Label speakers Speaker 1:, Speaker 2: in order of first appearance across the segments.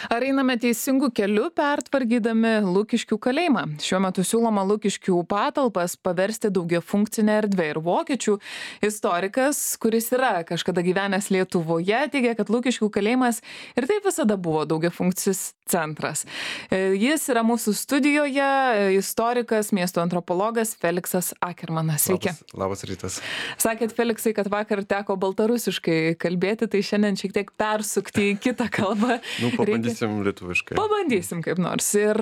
Speaker 1: Ar einame teisingų kelių pertvarkydami Lukiškių kalėjimą? Šiuo metu siūloma Lukiškių patalpas paversti daugiafunkcinę erdvę ir vokiečių istorikas, kuris yra kažkada gyvenęs Lietuvoje, teigia, kad Lukiškių kalėjimas ir taip visada buvo daugiafunkcis centras. Jis yra mūsų studijoje, istorikas, miesto antropologas Feliksas Akermanas. Sveiki.
Speaker 2: Labas rytas.
Speaker 1: Sakėt, Feliksai, kad vakar teko baltarusiškai kalbėti, tai šiandien šiek tiek persukti į kitą kalbą.
Speaker 2: Pabandysim lietuviškai.
Speaker 1: Pabandysim kaip nors. Ir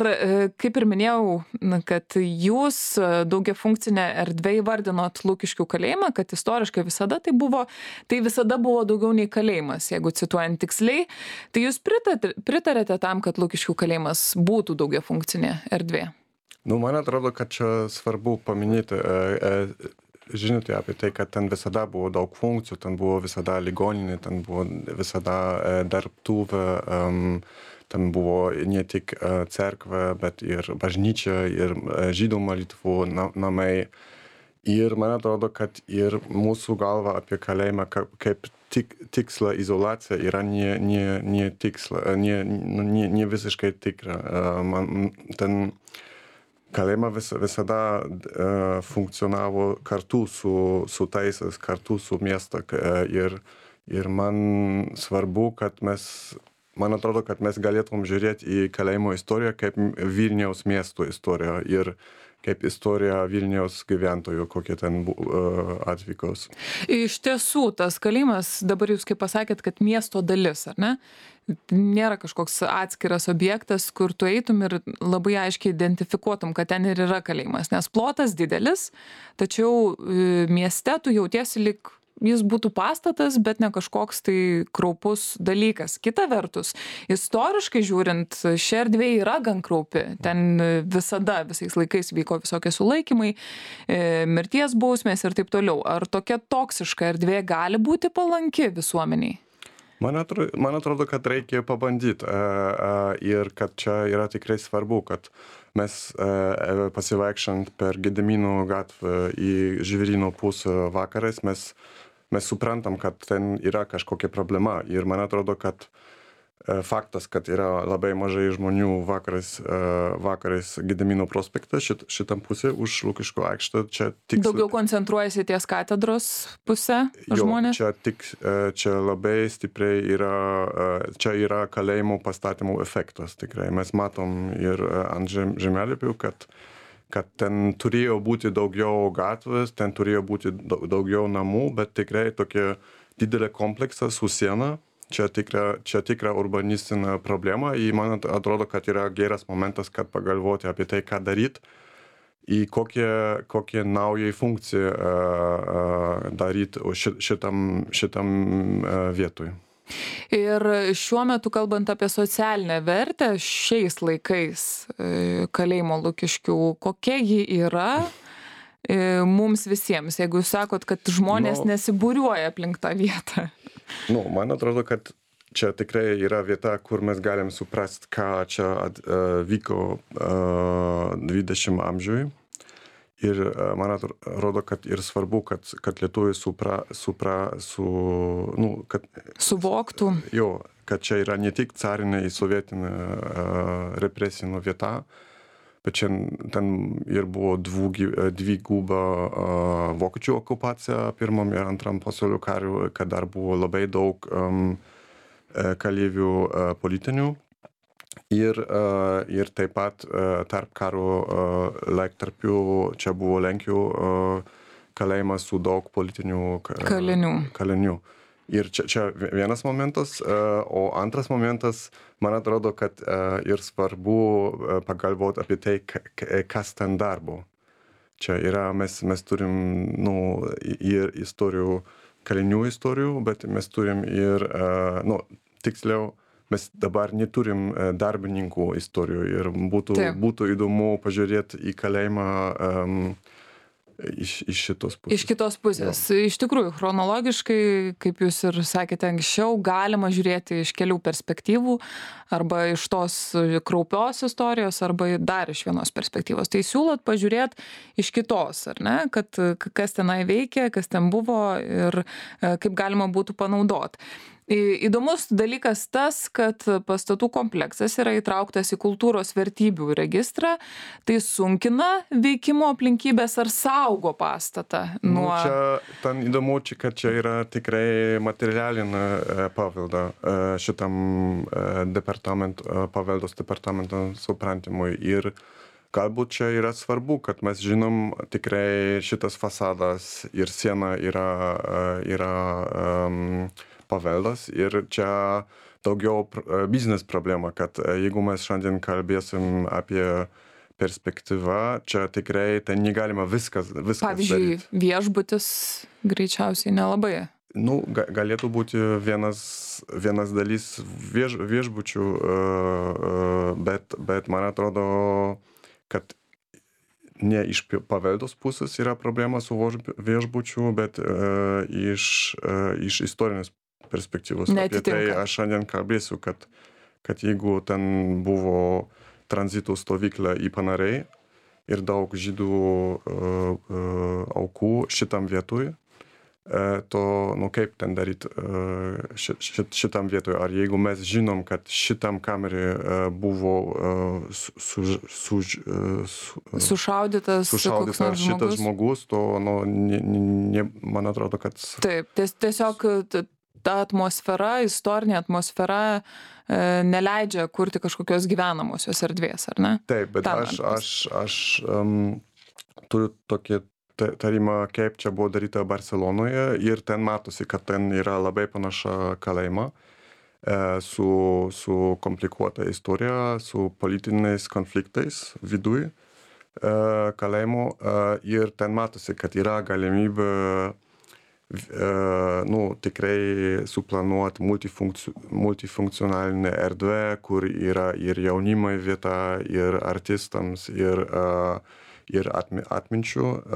Speaker 1: kaip ir minėjau, kad jūs daugiafunkcinę erdvę įvardinot Lukiškių kalėjimą, kad istoriškai visada tai visada buvo daugiau nei kalėjimas, jeigu cituojant tiksliai. Tai jūs pritarėte tam, kad Lukiškių kalėjimas būtų daugiafunkcinė erdvė?
Speaker 2: Man atrodo, kad čia svarbu paminėti, žinote apie tai, kad ten visada buvo daug funkcijų, ten buvo visada ligoninė, ten buvo visada dirbtuvė, ten buvo ne tik cerkvė, bet ir bažnyčia, ir žydų malitvų namai. Ir man atrodo, kad ir mūsų galva apie kalėjimą kaip tiksla izolacija yra ne tiksla, ne visiškai tikra. Ten kalėjimą visada funkcionavo kartu su teisės, kartu su miesto. Ir man svarbu, kad man atrodo, kad mes galėtum žiūrėti į kalėjimo istoriją kaip Vilniaus miesto istoriją ir kaip istorija Vilniaus gyventojų, kokie ten atvykos.
Speaker 1: Iš tiesų, tas kalėjimas, dabar jūs kaip pasakėt, kad miesto dalis, ar ne? Nėra kažkoks atskiras objektas, kur tu eitum ir labai aiškiai identifikuotum, kad ten ir yra kalėjimas. Nes plotas didelis, tačiau mieste tu jautiesi lyg jis būtų pastatas, bet ne kažkoks tai kraupus dalykas. Kita vertus, istoriškai žiūrint, ši erdvė yra gan kraupi. Ten visada, visais laikais vyko visokie sulaikymai, mirties bausmės ir taip toliau. Ar tokia toksiška erdvė gali būti palanki visuomeniai?
Speaker 2: Man atrodo, kad reikia pabandyti ir kad čia yra tikrai svarbu, kad mes pasivaikščiant per Gedimino gatvę į Žvėryno pusę vakarais, mes suprantam, kad ten yra kažkokia problema. Ir man atrodo, kad faktas, kad yra labai mažai žmonių vakarais Gedimino prospekte, šitam pusė už Lukiškių aikštę, čia tik...
Speaker 1: Daugiau koncentruojasi ties katedros pusę žmonės?
Speaker 2: Čia labai stipriai čia yra kalėjimo pastatymų efektas tikrai. Mes matom ir ant žemėlapių, kad ten turėjo būti daugiau gatvės, ten turėjo būti daugiau namų, bet tikrai tokia didelė kompleksas su siena. Čia tikra urbanistinė problema. Ir man atrodo, kad yra geras momentas, kad pagalvoti apie tai, ką daryti, į kokią naują funkciją daryti šitam vietoj.
Speaker 1: Ir šiuo metu, kalbant apie socialinę vertę, šiais laikais kalėjimo Lukiškių, kokia ji yra mums visiems, jeigu jūs sakot, kad žmonės nesibūriuoja aplink tą vietą?
Speaker 2: Man atrodo, kad čia tikrai yra vieta, kur mes galim suprasti, ką čia vyko 20 amžiui. Ir man atrodo, kad ir svarbu, kad lietuviai
Speaker 1: suvoktų.
Speaker 2: Kad čia yra ne tik carinė ir sovietinė represinė vieta, bet čia ten ir buvo dviguba vokiečių okupacija pirmam ir antram pasaulio kariu, kad dar buvo labai daug kaleivių politinių. Ir taip pat tarp karo laikotarpiu čia buvo Lenkijų kalėjimas su daug politinių kalinių. Ir čia vienas momentas, o antras momentas, man atrodo, kad ir svarbu pagalvoti apie tai, kas ten darbo. Čia yra, mes turim ir istorijų, kalinių istorijų, bet mes turim ir, tiksliau, mes dabar neturim darbininkų istorijų ir būtų įdomu pažiūrėti į kalėjimą iš šitos pusės.
Speaker 1: Iš kitos pusės. Iš tikrųjų, chronologiškai, kaip jūs ir sakėte anksčiau, galima žiūrėti iš kelių perspektyvų, arba iš tos kraupios istorijos, arba dar iš vienos perspektyvos. Tai siūlot pažiūrėti iš kitos, ar ne? Kad kas tenai veikia, kas ten buvo ir kaip galima būtų panaudoti. Įdomus dalykas tas, kad pastatų kompleksas yra įtrauktas į kultūros vertybių registrą. Tai sunkina veikimo aplinkybės ar saugo pastatą nuo...
Speaker 2: Čia ten įdomu, kad čia yra tikrai materialinė pavelda šitam paveldos departamento suprantimui. Ir galbūt čia yra svarbu, kad mes žinom tikrai šitas fasadas ir siena yra paveldas ir čia daugiau biznes problema, kad jeigu mes šiandien kalbėsim apie perspektyvą, čia tikrai ten negalima viskas
Speaker 1: Pavyzdžiui,
Speaker 2: daryt.
Speaker 1: Viešbutis greičiausiai nelabai.
Speaker 2: Galėtų būti vienas dalis viešbučių, bet man atrodo, kad ne iš paveldos pusės yra problema su viešbučiu, bet iš istorinės perspektyvos. Apie tai aš šiandien kalbėsiu, kad jeigu ten buvo tranzito stovykla į Paneriai ir daug žydų aukų šitam vietoj, to, kaip ten daryti šitam vietoj. Ar jeigu mes žinom, kad šitam kamerį buvo
Speaker 1: sušaudytas
Speaker 2: šitas žmogus, to, man atrodo, kad...
Speaker 1: Taip, tiesiog ta atmosfera, istorinė atmosfera neleidžia kurti kažkokios gyvenamosios erdvės, ar ne?
Speaker 2: Taip, bet aš turiu tokį tarimą, kaip čia buvo daryta Barcelonoje ir ten matosi, kad ten yra labai panaša kalėjima su komplikuota istorija, su politiniais konfliktais viduj kalėjimo ir ten matosi, kad yra galimybė tikrai suplanuoti multifunkcionalinę erdvę, kur yra ir jaunimui vieta, ir artistams, ir atminčių,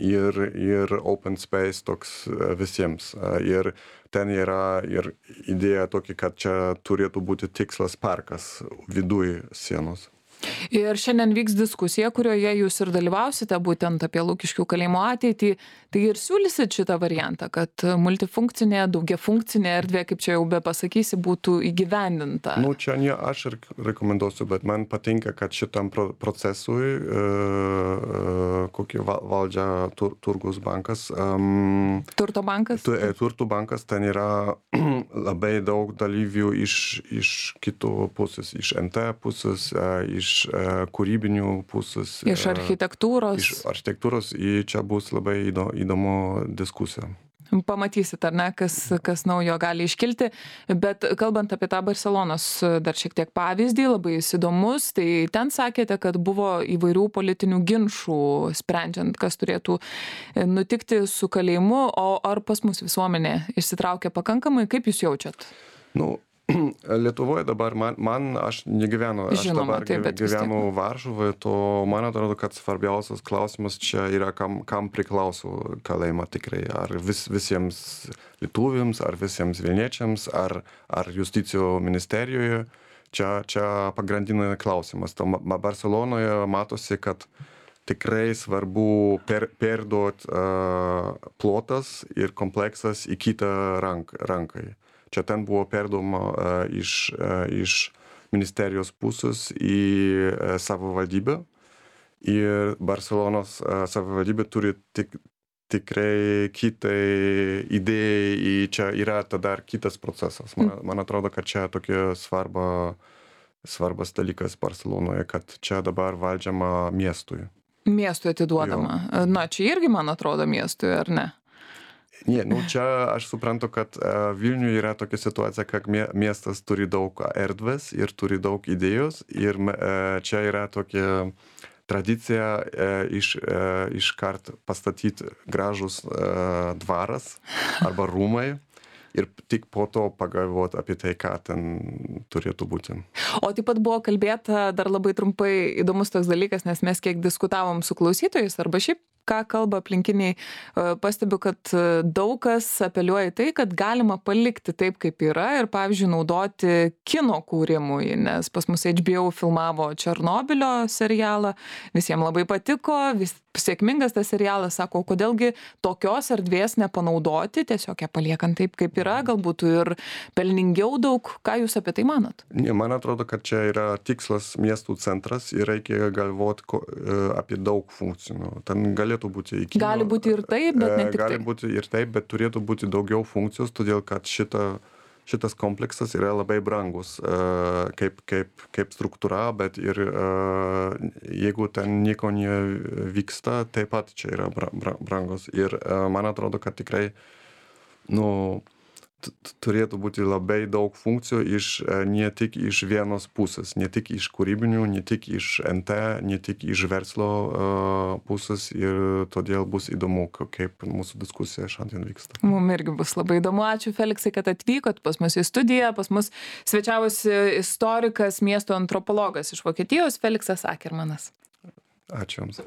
Speaker 2: ir open space toks visiems. Ir ten yra ir idėja tokia, kad čia turėtų būti tikslas parkas viduj sienos.
Speaker 1: Ir šiandien vyks diskusija, kurioje jūs ir dalyvausite būtent apie Lukiškių kalėjimo ateitį. Tai ir siūlysit šitą variantą, kad multifunkcinė, daugiafunkcinė erdvė, kaip čia jau be pasakysi, būtų įgyvendinta.
Speaker 2: Čia ne aš ir rekomenduosiu, bet man patinka, kad šitam procesui kokį valdžia Turgus bankas.
Speaker 1: Turto bankas?
Speaker 2: Turto bankas, ten yra labai daug dalyvių iš kitų pusės, iš NT pusės, iš kūrybinių pusės.
Speaker 1: Iš architektūros.
Speaker 2: Iš architektūros, čia bus labai įdomu diskusija.
Speaker 1: Pamatysit, ar ne, kas naujo gali iškilti. Bet kalbant apie tą Barcelonos dar šiek tiek pavyzdį, labai įdomus, tai ten sakėte, kad buvo įvairių politinių ginčų sprendžiant, kas turėtų nutikti su kalėjimu, o ar pas mus visuomenė išsitraukia pakankamai, kaip jūs jaučiat?
Speaker 2: Lietuvoje dabar aš negyvenu, dabar gyvenu Varšuvoje, to man atrodo, kad svarbiausias klausimas čia yra, kam priklauso kalėjimą tikrai. Ar visiems lietuviams, ar visiems vilniečiams, ar justicijos ministerijoje. Čia pagrindinė klausimas. Barcelonoje matosi, kad tikrai svarbu perduoti plotas ir kompleksas į kitą rankai. Čia ten buvo perduoma iš ministerijos pusės į savivaldybę. Ir Barcelonos savivaldybė turi tikrai kitai idėjai, čia yra tada kitas procesas. Man atrodo, kad čia tokia svarbas dalykas Barcelonoje, kad čia dabar valdžiama miestui.
Speaker 1: Miestui atiduodama. Čia irgi, man atrodo, miestui, ar ne?
Speaker 2: Ne, čia aš suprantu, kad Vilniuje yra tokia situacija, kad miestas turi daug erdvės ir turi daug idėjos ir čia yra tokia tradicija iškart pastatyti gražus dvaras arba rūmai ir tik po to pagalvoti apie tai, ką ten turėtų būti.
Speaker 1: O taip pat buvo kalbėta dar labai trumpai įdomus toks dalykas, nes mes kiek diskutavom su klausytojais arba šiaip ką kalba aplinkiniai, pastebiu, kad daug kas apeliuoja į tai, kad galima palikti taip, kaip yra ir, pavyzdžiui, naudoti kino kūrimui, nes pas mus HBO filmavo Černobylio serialą, visiems labai patiko, sėkmingas tas serialas, sako, kodėlgi tokios erdvės nepanaudoti, tiesiog ją paliekant taip, kaip yra, galbūt ir pelningiau daug. Ką jūs apie tai manot?
Speaker 2: Ne, man atrodo, kad čia yra tikslas miestų centras ir reikia galvoti apie daug funkcijų. Ten galėtų būti kino.
Speaker 1: Gali būti ir taip, bet ne tik
Speaker 2: gali
Speaker 1: taip.
Speaker 2: būti ir taip, bet turėtų būti daugiau funkcijos, todėl kad šitas kompleksas yra labai brangus kaip struktūra, bet ir jeigu ten nieko nevyksta, taip pat čia yra brangus. Ir man atrodo, kad tikrai turėtų būti labai daug funkcijų ne tik iš vienos pusės, ne tik iš kūrybinių, ne tik iš NT, ne tik iš verslo pusės ir todėl bus įdomu, kaip mūsų diskusija šiandien vyksta.
Speaker 1: Mums irgi bus labai įdomu. Ačiū, Feliksai, kad atvykot pas mus į studiją. Pas mus svečiavosi istorikas, miesto antropologas iš Vokietijos, Feliksas Akermanas.
Speaker 2: Ačiū Jums.